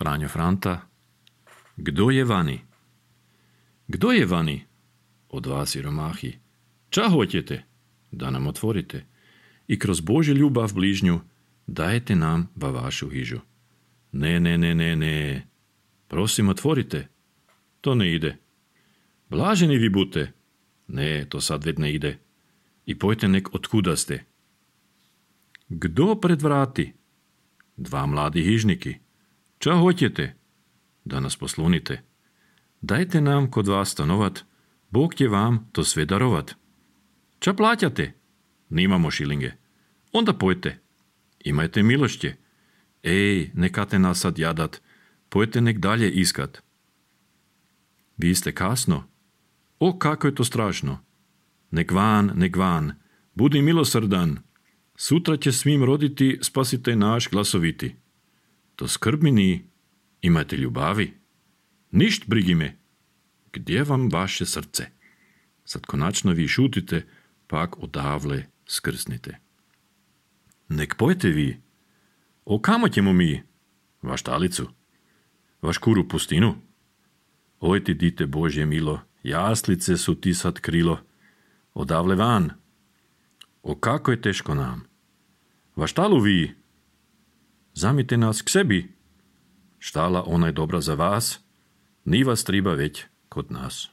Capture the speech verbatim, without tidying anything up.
Franjo Franta, kdo je vani? Kdo je vani? Od vas siromahi. Ča hoćete? Da nam otvorite. I kroz Božju ljubav bližnju dajete nam va vašu hižu. Ne, ne, ne, ne, ne. Prosim, otvorite. To ne ide. Blaženi vi bute. Ne, to sad već ne ide. I pojte nek otkuda ste. Kdo pred vrati? Dva mladi hižniki. Ča hoćete? Da nas poslunite. Dajte nam kod vas stanovat, Bog će vam to sve darovat. Ča plaćate? Nimamo šilinge. Onda pojte. Imajte milošće. Ej, nekate nas sad jadat, pojte nek dalje iskat. Vi ste kasno. O, kako je to strašno. Nek van, nek van, budi milosrdan. Sutra će svim roditi spasitelj naš glasoviti. To skrbmini, imajte ljubavi. Ništ brigi me. Gdje vam vaše srce? Sad konačno vi šutite, pak odavle skrsnite. Nek pojte vi. O kamo ćemo mi? Vaš talicu? Vaš kuru pustinu? Oj ti dite Božje milo, jaslice su ti sad krilo. Odavle van. O kako je teško nam. Vaš štalu vi? Zamite nas k sebi. Štala ona je dobra za vas, ni vas triba već kod nas.